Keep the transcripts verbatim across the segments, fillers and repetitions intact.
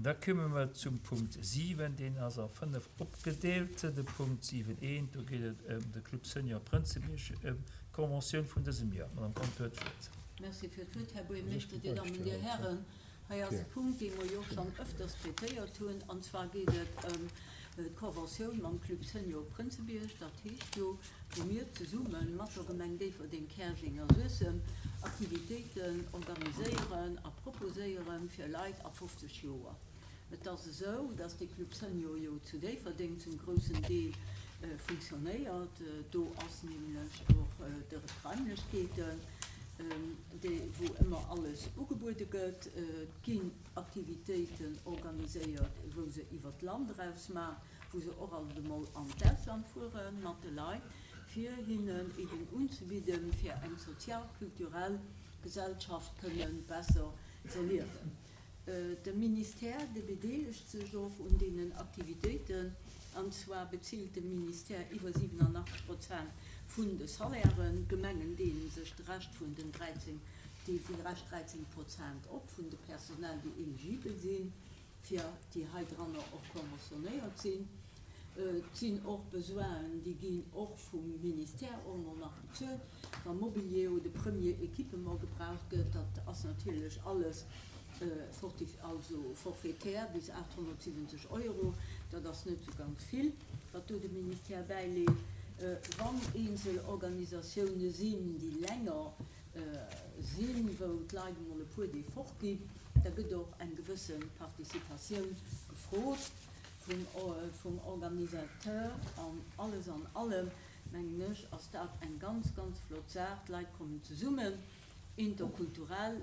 Da komme mer zum Punkt siwen, deen ass a fënnef opgedeelt. De Punkt siwen eent, do geet et ëm de Club Senior Prënzebierg, ëm d'Conventioun vun dësem Joer. D'Madame Conter huet d'Wuert. Merci fir d'Wuert, Här Buergermeeschter, Dir Dammen, Dir Hären. Hei ass e Punkt, dee mer jo och schonn ëfters traitéiert hunn, an zwar geet et ëm d'Conventioun mam Club Senior Prënzebierg. Dat heescht jo, wou mir zesumme mat der Gemeng Déifferdeng, Käerjeng a Suessem Aktivitéiten organiséieren a proposéiere fir Leit ab fofzeg Joer. Et ass esou, dass dee Club Senior jo zu Déifferdeng zum groussen Deel funktionéiert. Do ass nämlech och de d'Raimlechkeeten, déi wou ëmmer alles ugebuede gëtt. Et ginn Aktivitéiten organiséiert, wou se iwwert d'Land eraus maachen, wou se och alt emol an d'Ausland fuere mat de Leit, fir hinnen eben unzebidden, fir eng sozial-kulturell Gesellschaft kënnen besser z'erliewen. De Ministère, dee bedeelegt sech och un deenen Aktivitéiten, an zwar bezilt de Ministère iwwer siwenanachtzeg Prozent vun de Salairen. D'Gemengen deele sech de Rescht vun den dräizéng, déi Rescht dräizéng Prozent op vun de Personnel, déi eligibel sinn. fir déi heidranner och conventionnéiert sinn. Et sinn och Besoinen, déi ginn och vum Ministère och emol nach bezuelt, wa Mobilier oder Premier Équipement gebraucht gëtt. Dat ass natierlech alles also forfaitaire bis aathonnertsiwwenzeg Euro. Dat ass net esou ganz vill, wat do de Ministère bäileet. Wann eenzel Organisatioune sinn, déi länger sinn, wou d'Leit emol e puer Deeg fort ginn, da gëtt och eng gewësse Participatioun gefrot vum Organisateur. An alles an allem, mengen ech, ass dat eng ganz, ganz flott Saach. D'Leit kommen zesummen, interkulturell.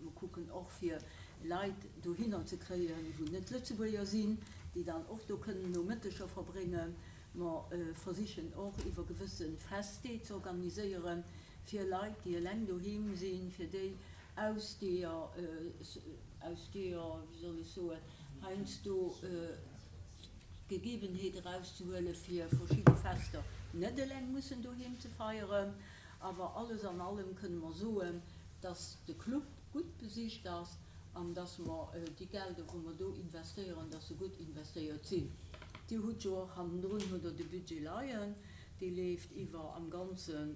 Mer kucken och, fir Leit dohinner ze kréien, wou net Lëtzebuerger sinn, déi dann och do kënnen Nomëtteger verbréngen. Mer versichen och, iwwer gewësse Festdeeg ze organiséieren, fir Leit, déi eleng doheem sinn, fir déi aus deeër, aus deeër, wéi soll ech soen, heiansdo d'Gegebenheet erauszehuelen, fir verschidde Fester net eleng mussen doheem ze feieren. Awer alles an allem kënne mer soen, dass de Club gutt besicht ass an dass mer déi Gelder, wou mer do investéieren, dass se gutt investéiert sinn. Dir hutt jo och hannendrun hutt Der de Budget leien. Dee leeft iwwer am Ganze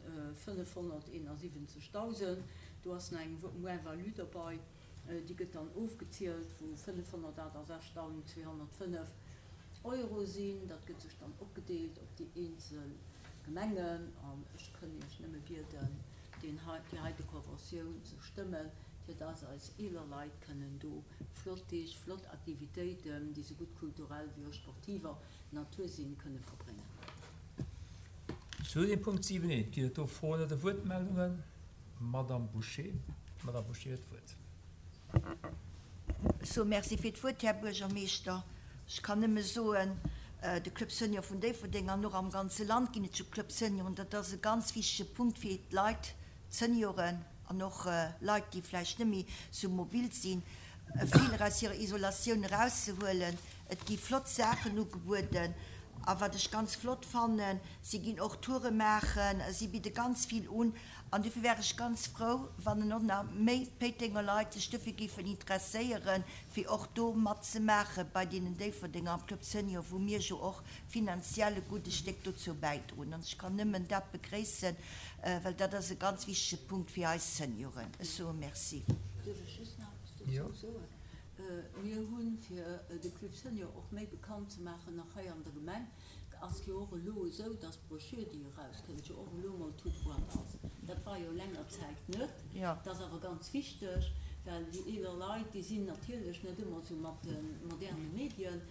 fënnefhonnerteenasiwwenzegdausend. Do ass nach eng Moins-value derbei, déi gëtt dann ofgezielt, wou fënnefhonnertaachtasechzdausend zweehonnertfënnef Euro sinn. Dat gëtt sech dann opgedeelt op déi eenzel Gemengen. An ech kënn Iech nëmme bieden, deen hei, déi heite Conventioun ze stëmmen, fir dass eis eeler Leit kënnen do flott Deeg, flott Aktivitéiten, déi sougutt kulturell wéi och sportiver Natur sinn, kënne verbréngen. Zu dem Punkt siwen eent ginn et do Froen oder Wuertmeldungen? Madamm Bouché, d'Madamm Bouché huet d'Wuert. Ech soe Merci fir d'Wuert, Här Buergermeeschter. Ech kann nëmme soen, de Club Senior vun Déifferdeng an och am ganze Land ginn et jo Club Senioren, dat ass e ganz wichtege Punkt fir d'Leit, d'Senioren an och Leit, déi vläicht net méi sou mobil sinn, vill aus hirer Isolatioun erauszehuelen. Et gi flott Saachen ugebueden. A wat ech ganz flott fannen, si ginn och Toure maachen, si bidde ganz vill un. An dofir wär ech ganz frou, wann en och nach méi Péitenger Leit sech dofir géifen interesséieren, fir och do matzemaache bei deenen Déifferdenger am Club Senior, wou mir jo och finanziell e gudde Stéck dozou bäidroen. An ech kann nëmmen dat begréissen, well dat ass e ganz wichtege Punkt fir eis Senioren. Ech soe Merci. Duerf ech just nach eppes dozou soen? Mir hunn, fir de Club Senior och méi bekannt ze maachen, nach hei an der Gemeng, ass jo och elo esou, dass d'Brochure, déi erauskënnt, jo och elo mol toute boîte ass. Dat war jo länger Zäit net. Dat ass awer ganz wichteg, well déi eeler Leit, déi sinn natierlech net ëmmer esou mat de moderne Medien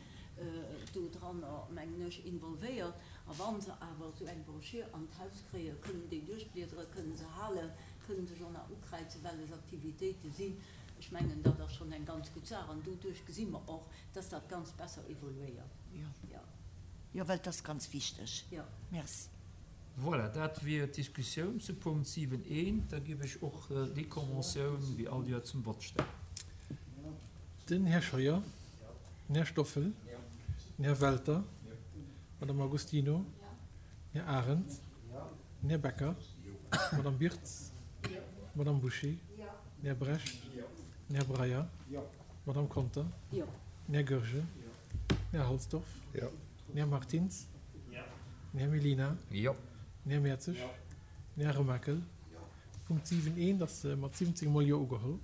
do dranner, mengen ech, involvéiert. A wa se awer esou eng Brochure an d'Haus kréien, kënnen déi duerchbliederen, kënnen se halen, kënnen sech och nach ukräizen, wellech Aktivitéite sinn. Ech mengen, dat ass schonn eng ganz gutt Saach an doduerch gesi mer och, dass dat Ganzt besser evoluéiert. Jo, jo, well et ass ganz wichteg. Merci. Voilà, dat wier d'Diskussioun zu Punkt siwen eent. Da géif ech och déi Conventioun wéi all Joer zum Vott stellen. Den Här Scheuer, den Här Stoffel, den Här Welter, d'Madame Agostino, den Här Arendt, den Här Becker, d'Madame Birtz, d'Madame Bouché, Den Här Brecht, den Här Breyer, d'Madame Conter, den Den Här Goergen. Den Här Halsdorf. Jo. Den Här Martins. Jo. Den Här Mellina. Jo. Den Här Mertzig. Den Här Remakel. Punkt siwen eent ass mat siwwenzéng mol Jo ugeholl.